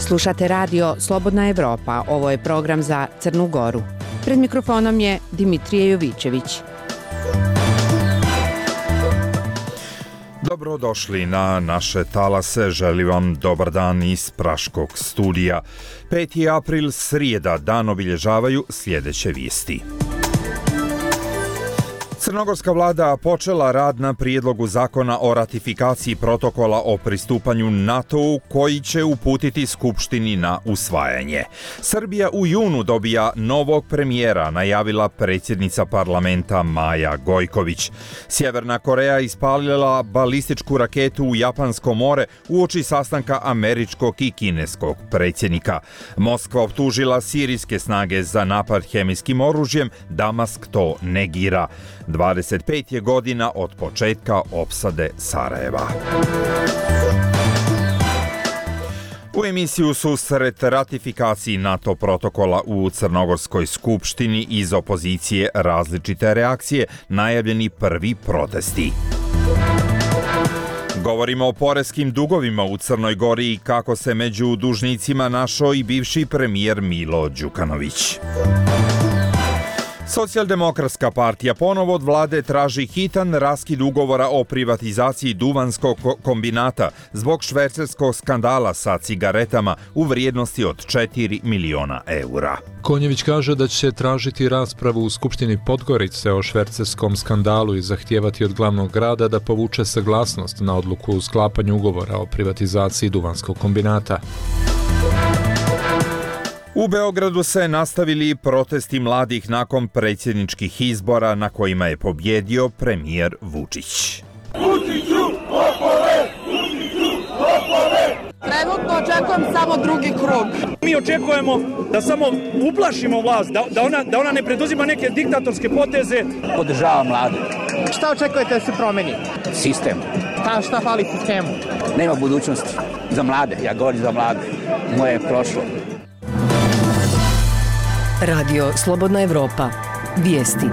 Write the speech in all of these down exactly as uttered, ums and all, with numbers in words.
Slušate radio Slobodna Evropa, ovo je program za Crnu Goru. Pred mikrofonom je Dimitrije Jovićević. Dobrodošli na naše talase, želim vam dobar dan iz Praškog studija. peti april, srijeda, dan obilježavaju sljedeće vijesti. Crnogorska vlada počela rad na prijedlogu zakona o ratifikaciji protokola o pristupanju NATO-u koji će uputiti Skupštini na usvajanje. Srbija u junu dobija novog premijera, najavila predsjednica parlamenta Maja Gojković. Sjeverna Koreja ispalila balističku raketu u Japansko more uoči sastanka američkog i kineskog predsjednika. Moskva optužila sirijske snage za napad hemijskim oružjem, Damask to negira. dvadeset pet je godina od početka opsade Sarajeva. U emisiju susret ratifikaciji NATO protokola u Crnogorskoj skupštini iz opozicije različite reakcije, najavljeni prvi protesti. Govorimo o poreskim dugovima u Crnoj Gori i kako se među dužnicima našao i bivši premijer Milo Đukanović. Socijaldemokratska partija ponovo od vlade traži hitan raskid ugovora o privatizaciji duvanskog kombinata zbog švercerskog skandala sa cigaretama u vrijednosti od četiri miliona eura. Konjević kaže da će tražiti raspravu u Skupštini Podgorice o švercerskom skandalu i zahtijevati od glavnog grada da povuče saglasnost na odluku o sklapanju ugovora o privatizaciji duvanskog kombinata. U Beogradu se nastavili protesti mladih nakon predsjedničkih izbora na kojima je pobjedio premijer Vučić. Vučiću, lopove! Vučiću, lopove! Trenutno očekujem samo drugi krug. Mi očekujemo da samo uplašimo vlast, da, da, ona, da ona ne preduzima neke diktatorske poteze. Podržava mlade. Šta očekujete da se promeni? Sistem. Ta, šta fali sistemu? Nema budućnosti za mlade, ja govorim za mlade. Moje je prošlo. Radio Slobodna Evropa. Vijesti.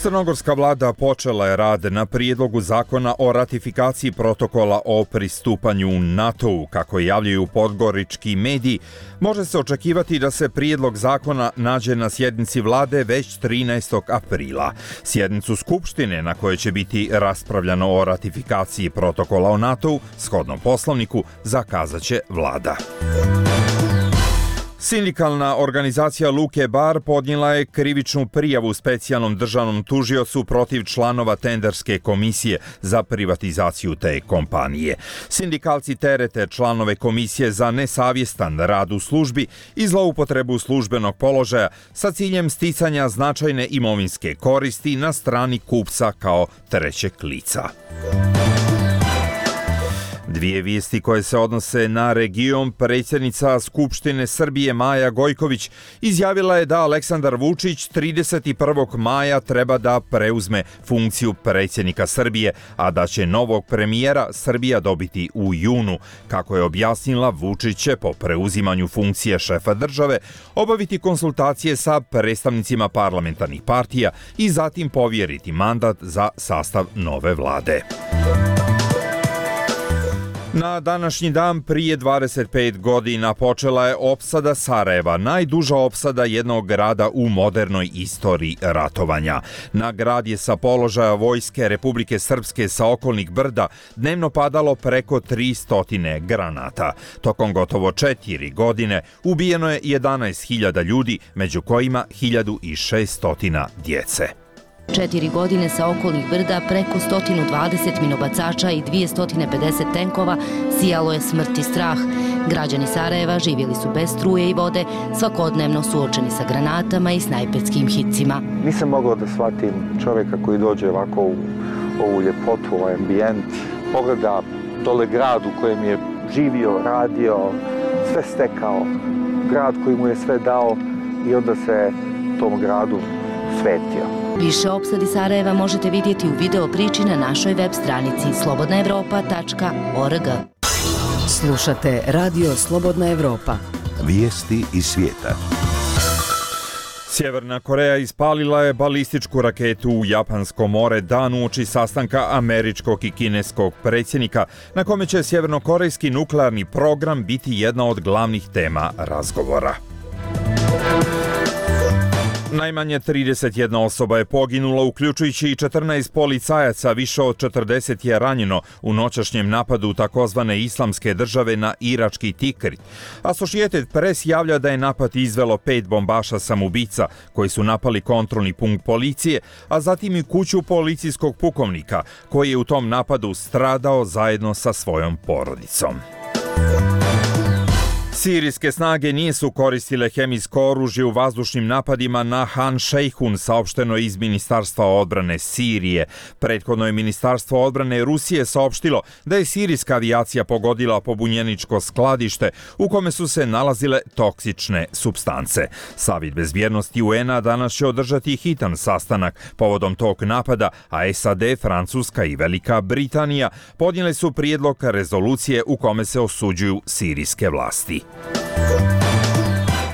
Crnogorska vlada počela je rad na prijedlogu zakona o ratifikaciji protokola o pristupanju NATO-u. Kako javljaju podgorički mediji, može se očekivati da se prijedlog zakona nađe na sjednici vlade već trinaestog aprila. Sjednicu Skupštine na kojoj će biti raspravljano o ratifikaciji protokola o NATO-u, shodno poslovniku, zakazat će vlada. Sindikalna organizacija Luke Bar podnijela je krivičnu prijavu specijalnom državnom tužiocu protiv članova tenderske komisije za privatizaciju te kompanije. Sindikalci terete članove komisije za nesavjestan rad u službi i zloupotrebu službenog položaja sa ciljem sticanja značajne imovinske koristi na strani kupca kao trećeg lica. Dvije vijesti koje se odnose na region. Predsjednica Skupštine Srbije Maja Gojković izjavila je da Aleksandar Vučić trideset prvog maja treba da preuzme funkciju predsjednika Srbije, a da će novog premijera Srbija dobiti u junu. Kako je objasnila, Vučić će po preuzimanju funkcije šefa države obaviti konsultacije sa predstavnicima parlamentarnih partija i zatim povjeriti mandat za sastav nove vlade. Na današnji dan prije dvadeset pet godina počela je opsada Sarajeva, najduža opsada jednog grada u modernoj istoriji ratovanja. Na grad je sa položaja vojske Republike Srpske sa okolnih brda dnevno padalo preko tristo granata. Tokom gotovo četiri godine ubijeno je jedanaest hiljada ljudi, među kojima hiljadu šesto djece. Četiri godine sa okolnih brda preko sto dvadeset minobacača i dvjesto pedeset tenkova sijalo je smrt i strah. Građani Sarajeva živjeli su bez struje i vode, svakodnevno suočeni sa granatama i snajperskim hicima. Nisam mogao da shvatim čovjeka koji dođe ovako u ovu ljepotu, ovaj ambijent, pogleda dole grad u kojem je živio, radio, sve stekao, grad koji mu je sve dao i onda se tom gradu svetio. Više o opsadi Sarajeva možete vidjeti u video priči na našoj web stranici slobodna evropa tačka org. Slušate Radio Slobodna Evropa. Vijesti iz svijeta. Sjeverna Koreja ispalila je balističku raketu u Japansko more dan uoči sastanka američkog i kineskog predsjednika, na kome će sjevernokorejski nuklearni program biti jedna od glavnih tema razgovora. Najmanje trideset jedna osoba je poginula, uključujući i četrnaest policajaca, više od četrdeset je ranjeno u noćašnjem napadu takozvane islamske države na irački Tikrit. Associated Press javlja da je napad izvelo pet bombaša samoubica koji su napali kontrolni punkt policije, a zatim i kuću policijskog pukovnika koji je u tom napadu stradao zajedno sa svojom porodicom. Sirijske snage nisu koristile hemijsko oružje u vazdušnim napadima na Han Šejhun, saopšteno iz Ministarstva odbrane Sirije. Prethodno je Ministarstvo odbrane Rusije saopštilo da je sirijska avijacija pogodila pobunjeničko skladište u kome su se nalazile toksične supstance. Savjet bezbjednosti U N-a danas će održati hitan sastanak povodom tog napada, a S A D, Francuska i Velika Britanija podnijele su prijedlog rezolucije u kome se osuđuju sirijske vlasti.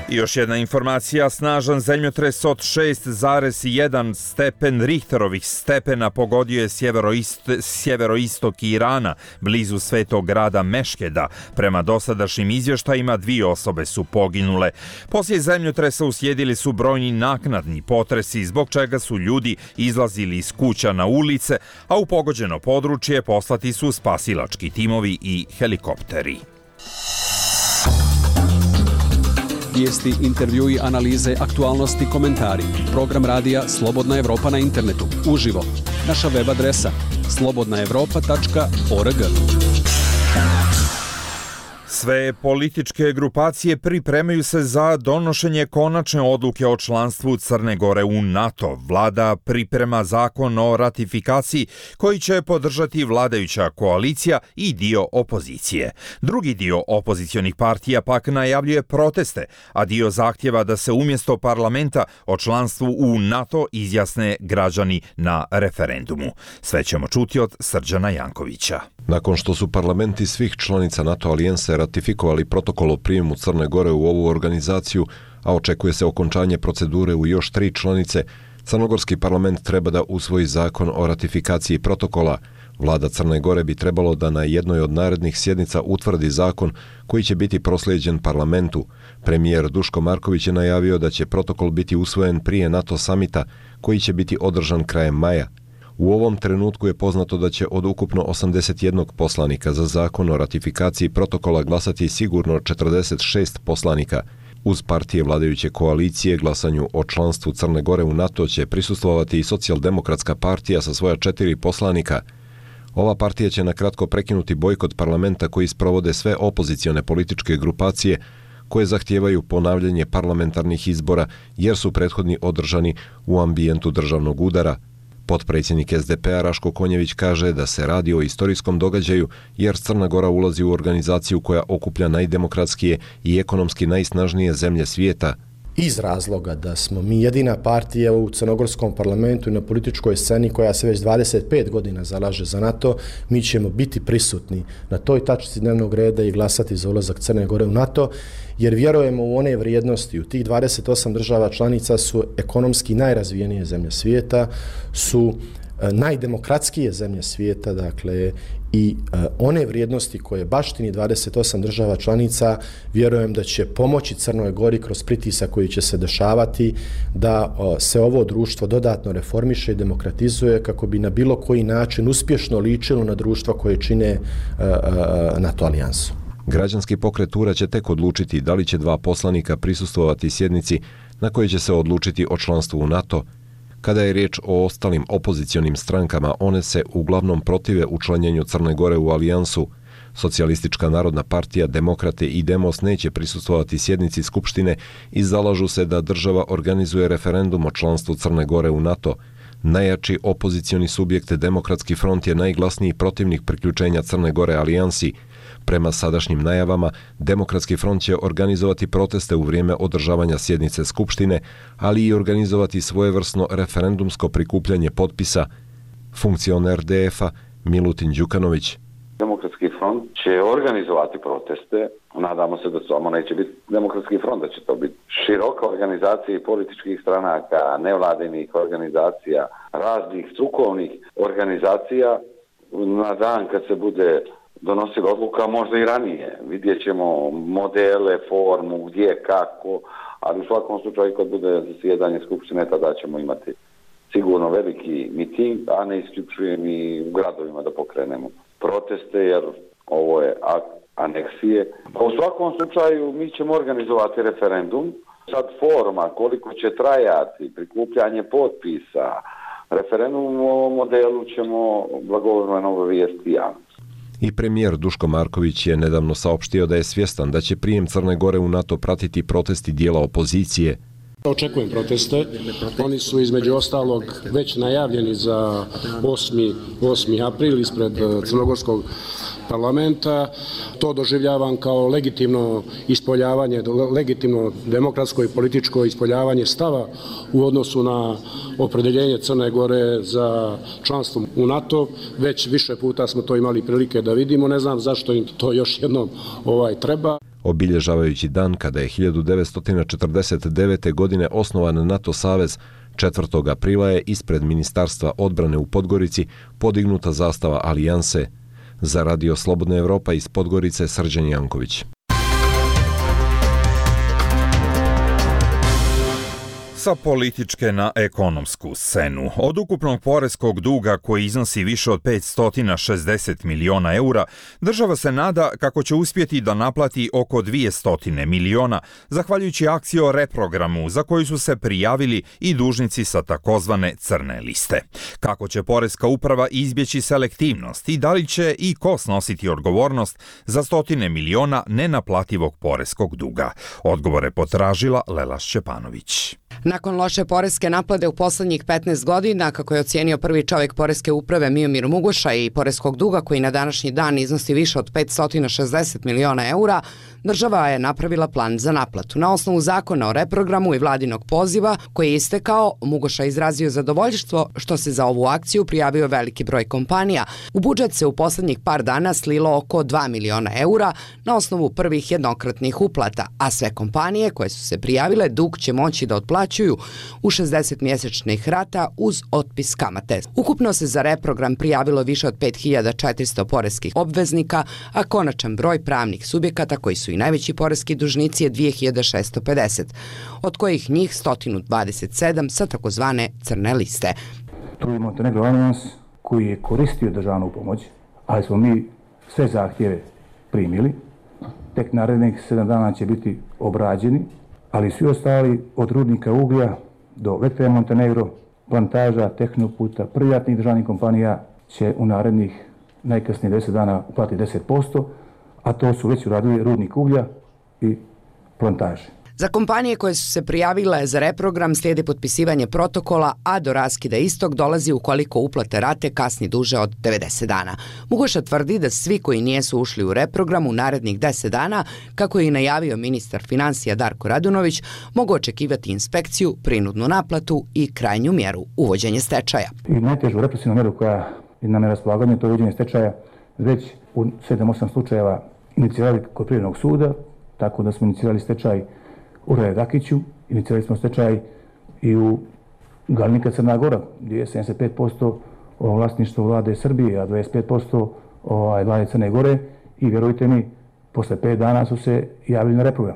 I još jedna informacija, snažan zemljotres od šest zarez jedan stepen Richterovih stepena pogodio je sjeveroist, sjeveroistok Irana, blizu svetog grada Meškeda. Prema dosadašnjim izvještajima dvije osobe su poginule. Poslije zemljotresa uslijedili su brojni naknadni potresi, zbog čega su ljudi izlazili iz kuća na ulice, a u pogođeno područje poslati su spasilački timovi i helikopteri. Vijesti, intervjui, analize, aktualnosti, komentari. Program radija Slobodna Evropa na internetu. Uživo. Naša web adresa slobodna evropa tačka org. Sve političke grupacije pripremaju se za donošenje konačne odluke o članstvu Crne Gore u NATO. Vlada priprema zakon o ratifikaciji koji će podržati vladajuća koalicija i dio opozicije. Drugi dio opozicionih partija pak najavljuje proteste, a dio zahtjeva da se umjesto parlamenta o članstvu u NATO izjasne građani na referendumu. Sve ćemo čuti od Srđana Jankovića. Nakon što su parlamenti svih članica NATO alijense ratifikovali protokol o prijemu Crne Gore u ovu organizaciju, a očekuje se okončanje procedure u još tri članice, crnogorski parlament treba da usvoji zakon o ratifikaciji protokola. Vlada Crne Gore bi trebalo da na jednoj od narednih sjednica utvrdi zakon koji će biti proslijeđen parlamentu. Premijer Duško Marković je najavio da će protokol biti usvojen prije NATO samita koji će biti održan krajem maja. U ovom trenutku je poznato da će od ukupno osamdeset jedan poslanika za zakon o ratifikaciji protokola glasati sigurno četrdeset šest poslanika. Uz partije vladajuće koalicije glasanju o članstvu Crne Gore u NATO će prisustvovati i Socijaldemokratska partija sa svoja četiri poslanika. Ova partija će na kratko prekinuti bojkot parlamenta koji sprovode sve opozicione političke grupacije koje zahtijevaju ponavljanje parlamentarnih izbora jer su prethodni održani u ambijentu državnog udara. Potpredsjednik S D P-a Raško Konjević kaže da se radi o istorijskom događaju jer Crna Gora ulazi u organizaciju koja okuplja najdemokratskije i ekonomski najsnažnije zemlje svijeta. Iz razloga da smo mi jedina partija u crnogorskom parlamentu i na političkoj sceni koja se već dvadeset pet godina zalaže za NATO, mi ćemo biti prisutni na toj tačci dnevnog reda i glasati za ulazak Crne Gore u NATO, jer vjerujemo u one vrijednosti. U tih dvadeset osam država članica su ekonomski najrazvijenije zemlje svijeta, su najdemokratskije zemlje svijeta, dakle, i uh, one vrijednosti koje baštini dvadeset osam država članica, vjerujem da će pomoći Crnoj Gori kroz pritisak koji će se dešavati da uh, se ovo društvo dodatno reformiše i demokratizuje kako bi na bilo koji način uspješno ličilo na društva koje čine uh, uh, NATO alijansu. Građanski pokret U R A će tek odlučiti da li će dva poslanika prisustvovati sjednici na kojoj će se odlučiti o članstvu u NATO. Kada je riječ o ostalim opozicionim strankama, one se uglavnom protive učlanjenju Crne Gore u alijansu. Socijalistička narodna partija, Demokrate i Demos neće prisustvovati sjednici Skupštine i zalažu se da država organizuje referendum o članstvu Crne Gore u NATO. Najjači opozicioni subjekt Demokratski front je najglasniji protivnik priključenja Crne Gore alijansi. Prema sadašnjim najavama, Demokratski front će organizovati proteste u vrijeme održavanja sjednice Skupštine, ali i organizovati svojevrsno referendumsko prikupljanje potpisa. Funkcioner D F-a Milutin Đukanović. Demokratski front će organizovati proteste. Nadamo se da samo neće biti Demokratski front, da će to biti široka organizacija političkih stranaka, nevladinih organizacija, raznih strukovnih organizacija. Na dan kad se bude donosila odluka, možda i ranije, vidjet ćemo modele, formu, gdje, kako, ali u svakom slučaju kad bude zasjedanje Skupštine, tada ćemo imati sigurno veliki miting, a ne isključujem i u gradovima da pokrenemo proteste, jer ovo je akt aneksije. Pa u svakom slučaju mi ćemo organizovati referendum. Sad forma, koliko će trajati, prikupljanje potpisa, referendum o modelu ćemo blagovremeno obavijestiti javnost. I premijer Duško Marković je nedavno saopštio da je svjestan da će prijem Crne Gore u NATO pratiti protesti dijela opozicije. Očekujem proteste. Oni su između ostalog već najavljeni za osmi april ispred Crnogorskog parlamenta. To doživljavam kao legitimno ispoljavanje, legitimno demokratsko i političko ispoljavanje stava u odnosu na opredeljenje Crne Gore za članstvo u NATO. Već više puta smo to imali prilike da vidimo. Ne znam zašto im to još jednom ovaj treba. Obilježavajući dan kada je hiljadu devetsto četrdeset devete. godine osnovan NATO savez, četvrtog aprila je ispred Ministarstva odbrane u Podgorici podignuta zastava Alijanse. Za Radio Slobodna Evropa iz Podgorice, Srđan Janković. Sa političke na ekonomsku scenu. Od ukupnog poreskog duga koji iznosi više od petsto šezdeset miliona eura, država se nada kako će uspjeti da naplati oko dvjesto miliona, zahvaljujući akciji o reprogramu za koju su se prijavili i dužnici sa takozvane crne liste. Kako će poreska uprava izbjeći selektivnost i da li će i ko snositi odgovornost za stotine miliona nenaplativog poreskog duga? Odgovore potražila Lela Šćepanović. Nakon loše poreske naplate u poslednjih petnaest godina, kako je ocijenio prvi čovjek poreske uprave Miomir Mugoša, i poreskog duga koji na današnji dan iznosi više od petsto šezdeset miliona eura, država je napravila plan za naplatu. Na osnovu zakona o reprogramu i vladinog poziva koji je istekao, Mugoša izrazio zadovoljstvo što se za ovu akciju prijavio veliki broj kompanija. U budžet se u poslednjih par dana slilo oko dva miliona eura na osnovu prvih jednokratnih uplata, a sve kompanije koje su se prijavile dug će moći da otplaćuju u šezdeset mjesečnih rata uz otpis kamate. Ukupno se za reprogram prijavilo više od pet hiljada četiristo poreskih obveznika, a konačan broj pravnih subjekata koji su i najveći poreski dužnici je dvije hiljade šessto pedeset, od kojih njih sto dvadeset sedam sa takozvane crne liste. Tu je Montenegro Alliance koji je koristio državnu pomoć, ali smo mi sve zahtjeve primili. Tek narednih sedam dana će biti obrađeni, ali svi ostali od rudnika uglja do Vektra Montenegro, plantaža, Tehnoputa, privatnih državnih kompanija će u narednih najkasnije deset dana uplatiti deset posto, a to su već uradili rudnik uglja i plantaže. Za kompanije koje su se prijavile za reprogram slijedi potpisivanje protokola, a do raskida istog dolazi ukoliko uplate rate kasni duže od devedeset dana. Mugoša tvrdi da svi koji nijesu ušli u reprogram u narednih deset dana, kako je i najavio ministar financija Darko Radunović, mogu očekivati inspekciju, prinudnu naplatu i krajnju mjeru, uvođenje stečaja. I najtežu represivnu mjeru koja je na raspolaganju, to je uvođenje stečaja, već u sedam osam slučajeva inicirali kod Privrednog suda, tako da smo inicirali stečaj u Rajedakiću, inicirali smo stečaj i u Galnika Crna Gora, gdje je sedamdeset pet posto vlasništvo vlade Srbije, a dvadeset pet posto vlade Crne Gore, i vjerujte mi, posle pet dana su se javili na reprogram.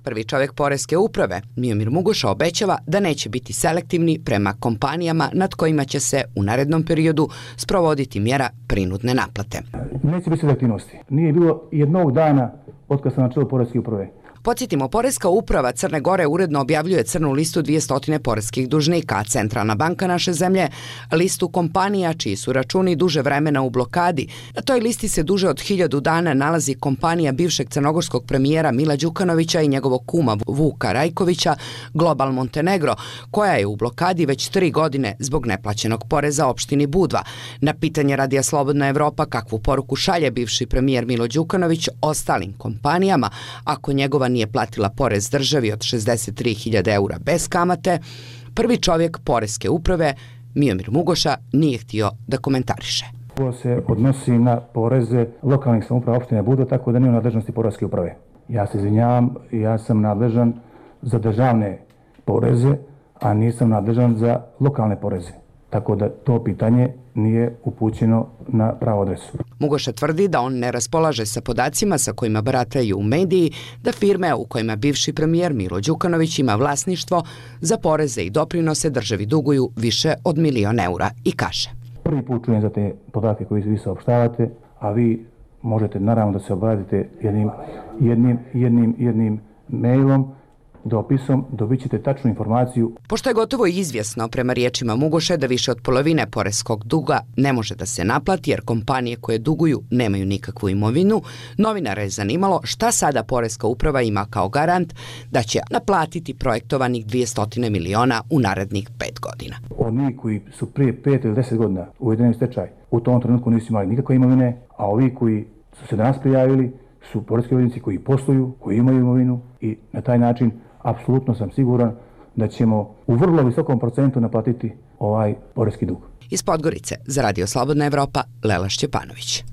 Prvi čovjek poreske uprave, Miomir Mugoša, obećava da neće biti selektivni prema kompanijama nad kojima će se u narednom periodu sprovoditi mjera prinudne naplate. Neće biti selektivnosti. Nije bilo jednog dana od kad sam na čelu poreske uprave. Podsjetimo, poreska uprava Crne Gore uredno objavljuje crnu listu dvjesto poreskih dužnika, a Centralna banka naše zemlje listu kompanija čiji su računi duže vremena u blokadi. Na toj listi se duže od hiljadu dana nalazi kompanija bivšeg crnogorskog premijera Mila Đukanovića i njegovog kuma Vuka Rajkovića, Global Montenegro, koja je u blokadi već tri godine zbog neplaćenog poreza opštini Budva. Na pitanje Radija Slobodna Evropa kakvu poruku šalje bivši premijer Milo Đukanović ostalim kompanijama ako njegova nije platila porez državi od šezdeset tri hiljade eura bez kamate, prvi čovjek poreske uprave, Miomir Mugoša, nije htio da komentariše. ko se odnosi na poreze lokalnih samouprava opštine Budva, tako da nije u nadležnosti poreske uprave. Ja se izvinjavam, ja sam nadležan za državne poreze, a nisam nadležan za lokalne poreze. Tako da to pitanje nije upućeno na pravu adresu. Mugoša tvrdi da on ne raspolaže sa podacima sa kojima barataju u mediji, da firme u kojima bivši premijer Milo Đukanović ima vlasništvo za poreze i doprinose državi duguju više od milion eura i kaže. Prvi put čujem za te podatke koje vi saopštavate, a vi možete naravno da se obratite jednim, jednim, jednim, jednim mailom, dopisom, dobit ćete tačnu informaciju. Pošto je gotovo izvjesno prema riječima Mugoše da više od polovine poreskog duga ne može da se naplati jer kompanije koje duguju nemaju nikakvu imovinu, novinara je zanimalo šta sada poreska uprava ima kao garant da će naplatiti projektovanih dvjesto miliona u narednih pet godina. Oni koji su prije pet ili deset godina uvedeni u stečaj, u tom trenutku nisu imali nikakve imovine, a ovi koji su se danas prijavili su poreski obveznici koji posluju, koji imaju imovinu i na taj način apsolutno sam siguran da ćemo u vrlo visokom procentu naplatiti ovaj poreski dug. Iz Podgorice za Radio Slobodna Evropa, Lela Šćepanović.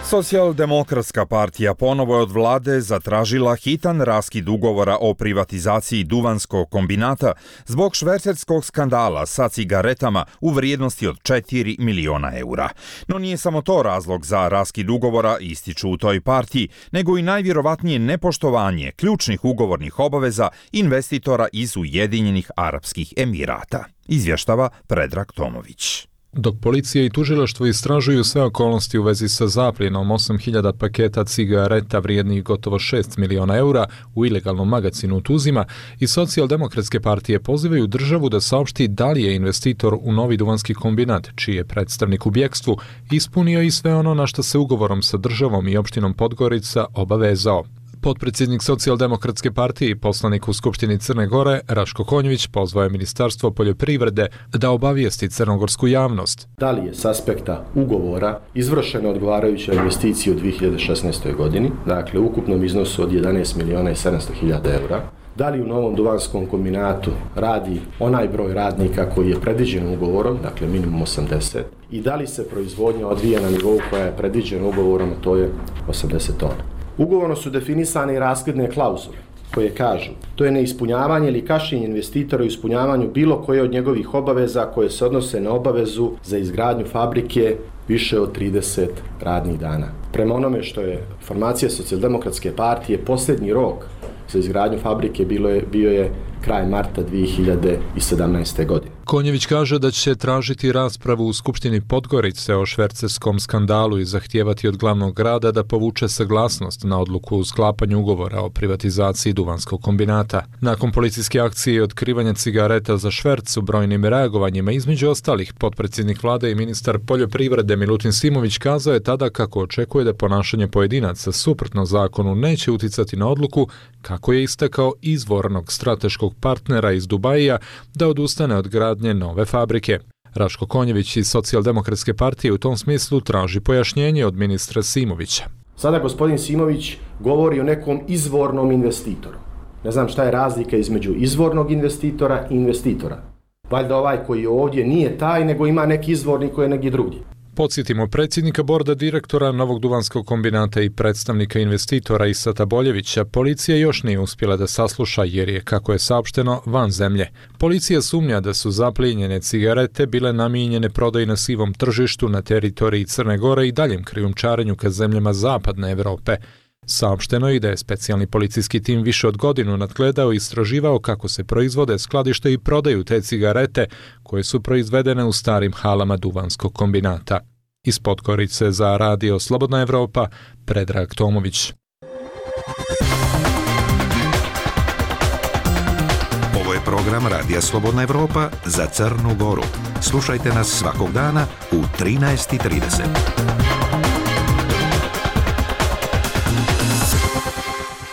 Socijaldemokratska partija ponovo je od vlade zatražila hitan raskid ugovora o privatizaciji Duvanskog kombinata zbog švercerskog skandala sa cigaretama u vrijednosti od četiri miliona eura. No nije samo to razlog za raskid ugovora, ističu u toj partiji, nego i najvjerovatnije nepoštovanje ključnih ugovornih obaveza investitora iz Ujedinjenih Arapskih Emirata, izvještava Predrag Tomović. Dok policija i tužilaštvo istražuju sve okolnosti u vezi sa zapljenom osam hiljada paketa cigareta vrijednih gotovo šest miliona eura u ilegalnom magacinu u Tuzima, i socijaldemokratske partije pozivaju državu da saopšti da li je investitor u novi duvanski kombinat, čiji je predstavnik u bjekstvu, ispunio i sve ono na što se ugovorom sa državom i opštinom Podgorica obavezao. Potpredsjednik socijaldemokratske partije i poslanik u Skupštini Crne Gore, Raško Konjević, pozvao je Ministarstvo poljoprivrede da obavijesti crnogorsku javnost. Da li je s aspekta ugovora izvršena odgovarajuća investicija u dvije hiljade šesnaestoj. godini, dakle u ukupnom iznosu od jedanaest miliona i sedamsto hiljada eura, da li u novom duvanskom kombinatu radi onaj broj radnika koji je predviđen ugovorom, dakle minimum osamdeset, i da li se proizvodnja odvija na nivou koja je predviđena ugovorom, a to je osamdeset tona. Ugovorno su definisane i raskidne klauzule koje kažu to je neispunjavanje ili kašnjenje investitora u ispunjavanju bilo koje od njegovih obaveza koje se odnose na obavezu za izgradnju fabrike više od trideset radnih dana. Prema onome što je informacija socijaldemokratske partije, posljednji rok za izgradnju fabrike bilo je, bio je kraj marta dvije hiljade sedamnaeste. godine. Konjević kaže da će tražiti raspravu u Skupštini Podgorice o švercerskom skandalu i zahtijevati od glavnog grada da povuče saglasnost na odluku o sklapanju ugovora o privatizaciji Duvanskog kombinata. Nakon policijske akcije i otkrivanja cigareta za šverc u brojnim reagovanjima, između ostalih, potpredsjednik vlade i ministar poljoprivrede Milutin Simović kazao je tada kako očekuje da ponašanje pojedinaca suprotno zakonu neće uticati na odluku, kako je istakao, izvornog strateškog partnera iz Dubaija da odustane od gradnje nove fabrike. Raško Konjević iz socijaldemokratske partije u tom smislu traži pojašnjenje od ministra Simovića. Sada gospodin Simović govori o nekom izvornom investitoru. Ne znam šta je razlika između izvornog investitora i investitora. Valjda ovaj koji je ovdje nije taj, nego ima neki izvorni koji je neki drugi. Podsjetimo, predsjednika borda direktora Novog duvanskog kombinata i predstavnika investitora Isata Boljevića policija još nije uspjela da sasluša jer je, kako je saopšteno, van zemlje. Policija sumnja da su zaplijenjene cigarete bile namijenjene prodaji na sivom tržištu na teritoriji Crne Gore i daljem krijumčarenju ka zemljama zapadne Evrope. Saopšteno je i da je specijalni policijski tim više od godinu nadgledao i istraživao kako se proizvode, skladište i prodaju te cigarete koje su proizvedene u starim halama Duvanskog kombinata. Iz Podgorice za Radio Slobodna Evropa, Predrag Tomović. Ovo je program Radija Slobodna Evropa za Crnu Goru. Slušajte nas svakog dana u trinaest i trideset.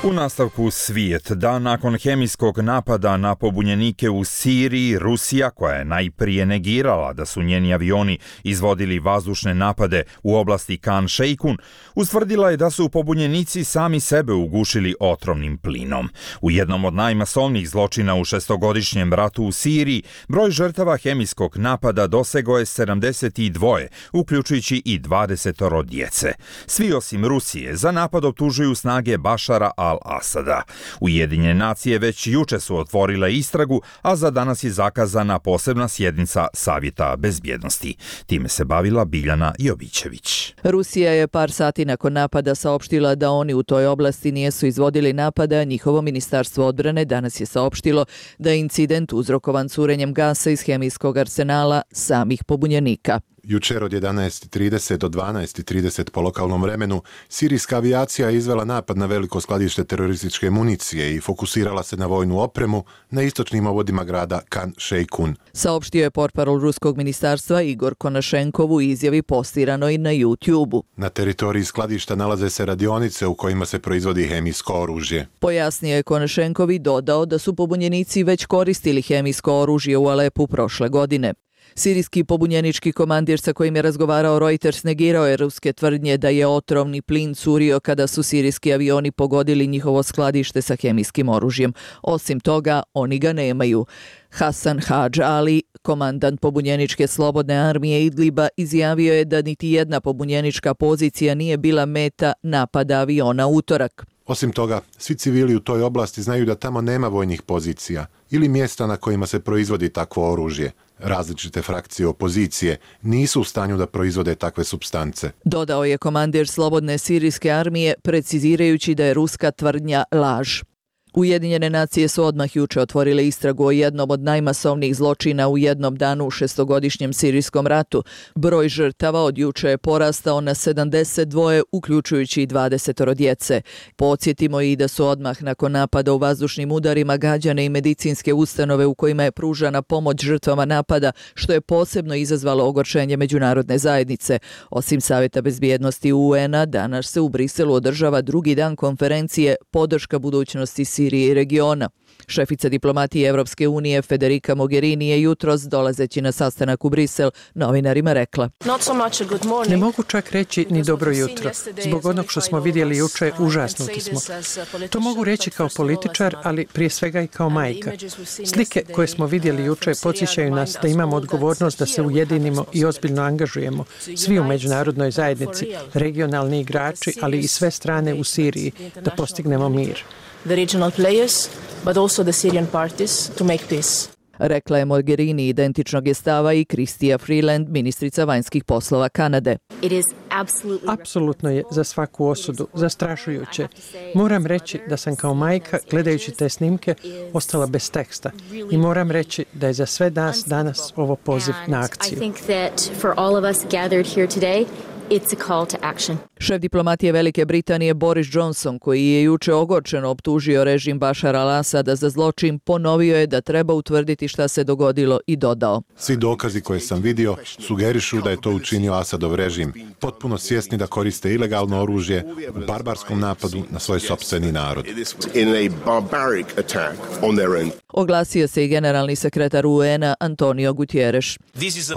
U nastavku svijet, dan nakon hemijskog napada na pobunjenike u Siriji, Rusija, koja je najprije negirala da su njeni avioni izvodili vazdušne napade u oblasti Kan Šejkun, ustvrdila je da su pobunjenici sami sebe ugušili otrovnim plinom. U jednom od najmasovnijih zločina u šestogodišnjem ratu u Siriji, broj žrtava hemijskog napada dosegao je sedamdeset dva, uključujući i dvadesetoro djece. Svi osim Rusije za napad optužuju snage Bašara al-Asada. Ujedinjene nacije već juče su otvorile istragu, a za danas je zakazana posebna sjednica Savjeta bezbjednosti. Time se bavila Biljana Jovićević. Rusija je par sati nakon napada saopštila da oni u toj oblasti nijesu izvodili napade, a njihovo ministarstvo odbrane danas je saopštilo da je incident uzrokovan curenjem gasa iz hemijskog arsenala samih pobunjenika. Jučer od jedanaest i trideset do dvanaest i trideset po lokalnom vremenu, sirijska avijacija je izvela napad na veliko skladište terorističke municije i fokusirala se na vojnu opremu na istočnim ovodima grada Kan Šejkun. Saopštio je portparol ruskog ministarstva Igor Konašenkov u izjavi postiranoj na YouTube-u. Na teritoriji skladišta nalaze se radionice u kojima se proizvodi hemijsko oružje. Pojasnio je Konašenkov i dodao da su pobunjenici već koristili hemijsko oružje u Alepu prošle godine. Sirijski pobunjenički komandir sa kojim je razgovarao Reuters negirao je ruske tvrdnje da je otrovni plin curio kada su sirijski avioni pogodili njihovo skladište sa hemijskim oružjem. Osim toga, oni ga nemaju. Hasan Hadž Ali, komandant pobunjeničke slobodne armije Idliba, izjavio je da niti jedna pobunjenička pozicija nije bila meta napada aviona utorak. Osim toga, svi civili u toj oblasti znaju da tamo nema vojnih pozicija ili mjesta na kojima se proizvodi takvo oružje. Različite frakcije opozicije nisu u stanju da proizvode takve supstance. Dodao je komandir slobodne sirijske armije, precizirajući da je ruska tvrdnja laž. Ujedinjene nacije su odmah juče otvorile istragu o jednom od najmasovnijih zločina u jednom danu u šestogodišnjem sirijskom ratu. Broj žrtava od juče je porastao na sedamdeset dva, uključujući i dvadesetoro djece. Podsjetimo i da su odmah nakon napada u vazdušnim udarima gađane i medicinske ustanove u kojima je pružana pomoć žrtvama napada, što je posebno izazvalo ogorčenje međunarodne zajednice. Osim Savjeta bezbjednosti U N-a, danas se u Briselu održava drugi dan konferencije Podrška budućnosti Sirije i regiona. Šefica diplomatije Evropske unije Federica Mogherini je jutros, dolazeći na sastanak u Brisel, novinarima rekla: Ne mogu čak reći ni dobro jutro. Zbog onog što smo vidjeli juče, užasnuti smo. To mogu reći kao političar, ali prije svega i kao majka. Slike koje smo vidjeli juče podsjećaju nas da imamo odgovornost da se ujedinimo i ozbiljno angažujemo. Svi u međunarodnoj zajednici, regionalni igrači, ali i sve strane u Siriji, da postignemo mir. The regional players, but also the Syrian parties to make peace. Rekla je Mogherini identičnog je stava i Chrystia Freeland, ministrica vanjskih poslova Kanade. Apsolutno je za svaku osudu, zastrašujuće. Moram reći da sam kao majka, gledajući te snimke, ostala bez teksta. I moram reći da je za sve nas danas ovo poziv na akciju. It's a call to action. Šef diplomatije Velike Britanije Boris Johnson, koji je juče ogorčeno optužio režim Bašara al-Asada za zločin, ponovio je da treba utvrditi šta se dogodilo i dodao: Svi dokazi koje sam vidio sugerišu da je to učinio Asadov režim, potpuno svjesni da koriste ilegalno oružje u barbarskom napadu na svoj sopstveni narod. Oglasio se i generalni sekretar U N-a Antonio Guterres.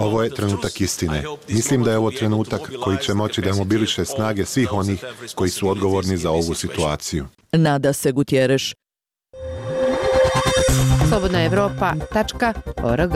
Ovo je trenutak istine. Mislim da je ovo trenutak koji će moći da mobiliše snage svih onih koji su odgovorni za ovu situaciju. Nada se Guterres. slobodna evropa tačka org.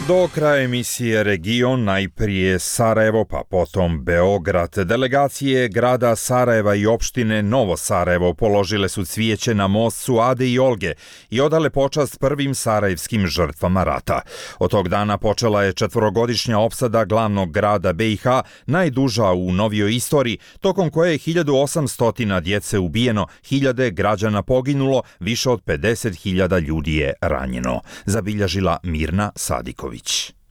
Do kraja emisije Region, najprije Sarajevo, pa potom Beograd. Delegacije grada Sarajeva i opštine Novo Sarajevo položile su cvijeće na most Suade i Olge i odale počast prvim sarajevskim žrtvama rata. Od tog dana počela je četvorogodišnja opsada glavnog grada B i H, najduža u novijoj istoriji, tokom koje je hiljadu osamsto djece ubijeno, hiljade građana poginulo, više od pedeset hiljada ljudi je ranjeno. Zabilježila Mirna Sadiković.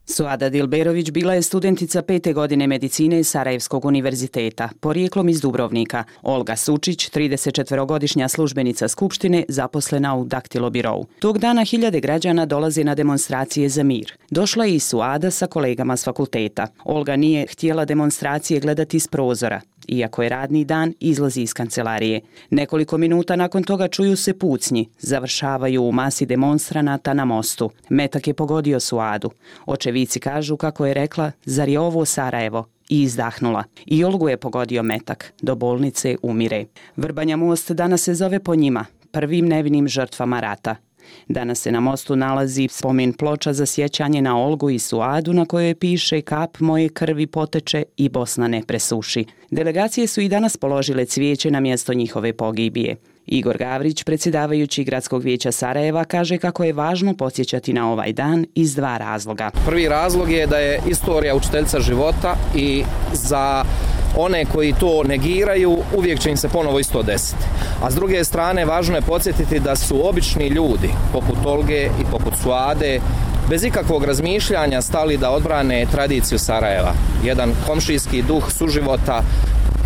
Suada Dilberović bila je studentica pete godine medicine Sarajevskog univerziteta, porijeklom iz Dubrovnika. Olga Sučić, tridesetčetvorogodišnja službenica Skupštine, zaposlena u Daktilobirovu. Tog dana hiljade građana dolaze na demonstracije za mir. Došla je i Suada sa kolegama s fakulteta. Olga nije htjela demonstracije gledati iz prozora. iako je radni dan, izlazi iz kancelarije. Nekoliko minuta nakon toga čuju se pucnji, završavaju u masi demonstranata na mostu. Metak je pogodio Suadu. Očevici kažu kako je rekla, zar je ovo Sarajevo? I izdahnula. I Olgu je pogodio metak. Do bolnice umire. Vrbanja most danas se zove po njima, prvim nevinim žrtvama rata. Danas se na mostu nalazi spomen ploča za sjećanje na Olgu i Suadu na kojoj piše kap moje krvi poteče i Bosna ne presuši. Delegacije su i danas položile cvijeće na mjesto njihove pogibije. Igor Gavrić, predsjedavajući Gradskog vijeća Sarajeva, kaže kako je važno podsjećati na ovaj dan iz dva razloga. Prvi razlog je da je istorija učiteljica života i za one koji to negiraju uvijek će im se ponovo isto desiti. A s druge strane važno je podsjetiti da su obični ljudi poput Olge i poput Suade bez ikakvog razmišljanja stali da odbrane tradiciju Sarajeva. Jedan komšijski duh suživota,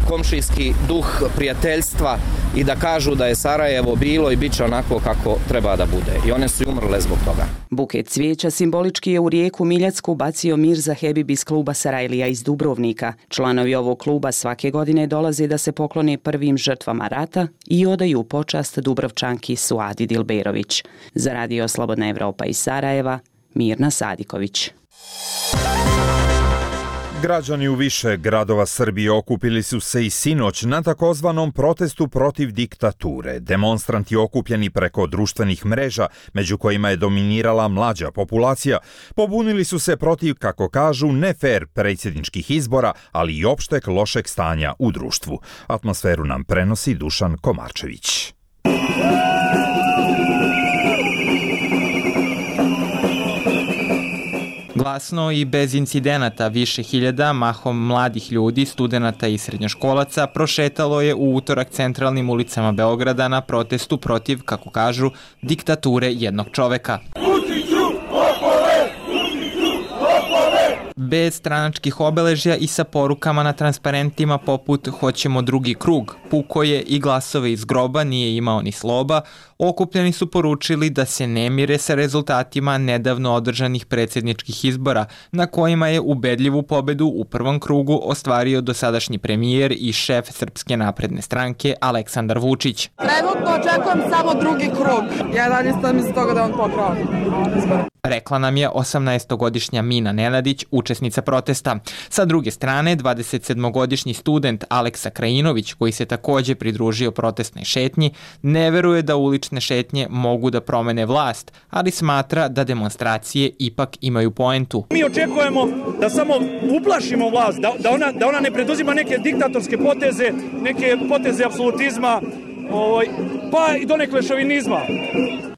komšijski duh prijateljstva i da kažu da je Sarajevo bilo i bit će onako kako treba da bude. I one su umrle zbog toga. Buket cvijeća simbolički je u rijeku Miljacku bacio Mirza Hebib iz kluba Sarajlija iz Dubrovnika. Članovi ovog kluba svake godine dolaze da se poklone prvim žrtvama rata i odaju počast Dubrovčanki Suadi Dilberović. Za Radio Slobodna Evropa iz Sarajeva, Mirna Sadiković. Građani u više gradova Srbije okupili su se i sinoć na takozvanom protestu protiv diktature. Demonstranti okupljeni preko društvenih mreža, među kojima je dominirala mlađa populacija, pobunili su se protiv, kako kažu, nefer predsjedničkih izbora, ali i opšteg lošeg stanja u društvu. Atmosferu nam prenosi Dušan Komarčević. Glasno i bez incidenata više hiljada, mahom mladih ljudi, studenata i srednjoškolaca, prošetalo je u utorak centralnim ulicama Beograda na protestu protiv, kako kažu, diktature jednog čoveka. Bez stranačkih obeležja i sa porukama na transparentima poput "Hoćemo drugi krug", "Puko je" i "Glasove iz groba nije imao ni sloba", okupljeni su poručili da se ne mire sa rezultatima nedavno održanih predsjedničkih izbora, na kojima je ubedljivu pobedu u prvom krugu ostvario dosadašnji premijer i šef Srpske napredne stranke Aleksandar Vučić. Trenutno očekujem samo drugi krug. Ja dalje stavim iz toga da on pokrao izbora. Rekla nam je osamnaestogodišnja Mina Nenadić, učesnica protesta. Sa druge strane, dvadesetsedmogodišnji student Aleksa Krajinović, koji se također pridružio protestnoj šetnji, ne veruje da ulične šetnje mogu da promene vlast, ali smatra da demonstracije ipak imaju poentu. Mi očekujemo da samo uplašimo vlast, da, da, ona, da ona ne preduzima neke diktatorske poteze, neke poteze apsolutizma, ovaj, pa i donekle šovinizma.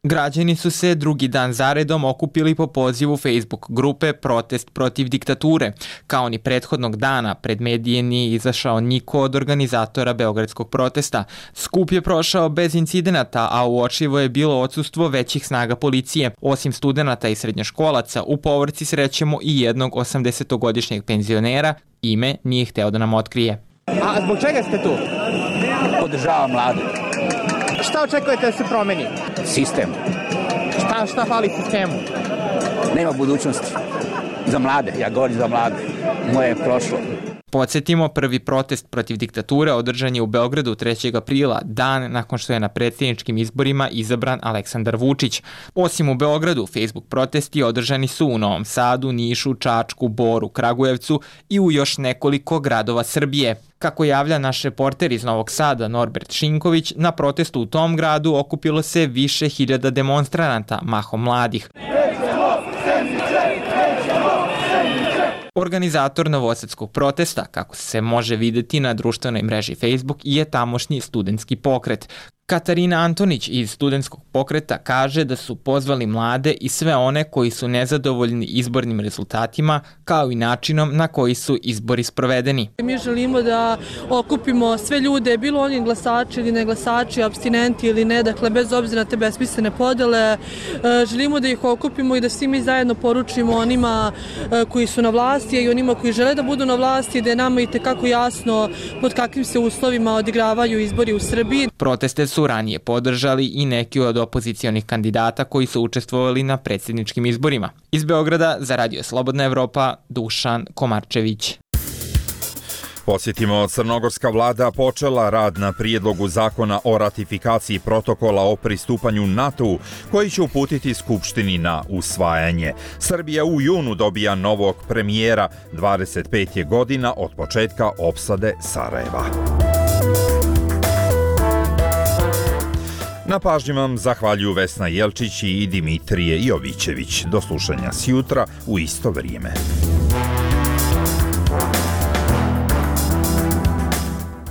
Građani su se drugi dan zaredom okupili po pozivu Facebook grupe Protest protiv diktature. Kao ni prethodnog dana, pred medije nije izašao niko od organizatora beogradskog protesta. Skup je prošao bez incidenata, a uočljivo je bilo odsustvo većih snaga policije. Osim studenata i srednjoškolaca, u povorci srećemo i jednog osamdesetogodišnjeg penzionera, ime nije hteo da nam otkrije. A zbog čega ste tu? Podržavam mlade. Šta očekujete da se promeni? Sistem. Šta, šta fali sistemu? Nema budućnosti. Za mlade, ja govorim za mlade. Moje je prošlo. Podsjetimo, prvi protest protiv diktature održan je u Beogradu trećeg aprila, dan nakon što je na predsjedničkim izborima izabran Aleksandar Vučić. Osim u Beogradu, Facebook protesti održani su u Novom Sadu, Nišu, Čačku, Boru, Kragujevcu i u još nekoliko gradova Srbije. Kako javlja naš reporter iz Novog Sada Norbert Šinković, na protestu u tom gradu okupilo se više hiljada demonstranata, mahom mladih. Organizator novosadskog protesta, kako se može vidjeti na društvenoj mreži Facebook, je tamošnji studentski pokret. Katarina Antonić iz studentskog pokreta kaže da su pozvali mlade i sve one koji su nezadovoljni izbornim rezultatima, kao i načinom na koji su izbori sprovedeni. Mi želimo da okupimo sve ljude, bilo oni glasači ili ne glasači, apstinenti ili ne, dakle bez obzira na te besmislene podele. Želimo da ih okupimo i da svi mi zajedno poručimo onima koji su na vlasti i onima koji žele da budu na vlasti, da je nama i tekako jasno pod kakvim se uslovima odigravaju izbori u Srbiji. Proteste su ranije podržali i neki od opozicionih kandidata koji su učestvovali na predsjedničkim izborima. Iz Beograda za Radio Slobodna Evropa, Dušan Komarčević. Posjetimo, crnogorska vlada počela rad na prijedlogu zakona o ratifikaciji protokola o pristupanju NATO-u, koji će uputiti Skupštini na usvajanje. Srbija u junu dobija novog premijera, dvadeset pet je godina od početka opsade Sarajeva. Na pažnji vam zahvaljuju Vesna Jelčić i Dimitrije Jovićević. Do slušanja sjutra u isto vrijeme.